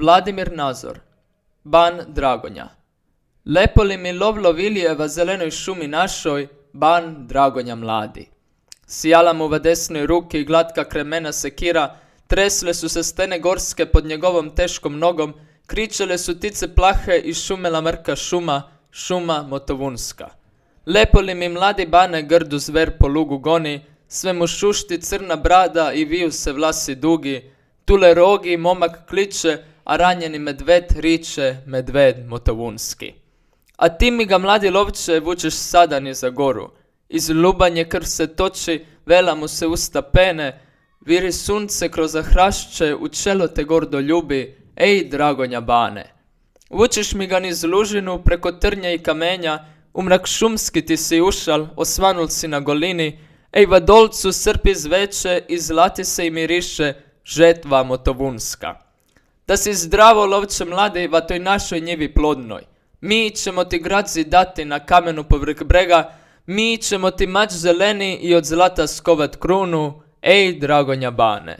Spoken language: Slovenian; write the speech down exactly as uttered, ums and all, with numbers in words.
Vladimir Nazor, ban Dragonja. Lepo li mi lovlo Vilijeva zelenoj šumi našoj, ban Dragonja mladi. Sijala mu v desnoj ruki glatka kremena sekira, tresle su se stene gorske pod njegovom teškom nogom, kričale su tice plahe i šumela mrka šuma, šuma motovunska. Lepo li mi mladi bane grdu zver po lugu goni, sve mu šušti crna brada i viju se vlasi dugi, tule rogi momak kliče, a ranjeni medved riče, medved motovunski. A ti mi ga mladi lovče vučeš sada ni za goru, iz lubanje krv se toči, vela mu se usta pene, viri sunce kroz hrašće, u čelo te gordo ljubi, ej Dragonja bane. Vučeš mi ga niz lužinu, preko trnja i kamenja, u mrak šumski ti si ušal, osvanul si na golini, ej va dolcu srpi zveče i zlati se i miriše, žetva motovunska. Da si zdravo lovče mladi va toj našoj njivi plodnoj. Mi ćemo ti gradzi dati na kamenu povrh brega, mi ćemo ti mač zeleni i od zlata skovat krunu, ej Dragonja bane.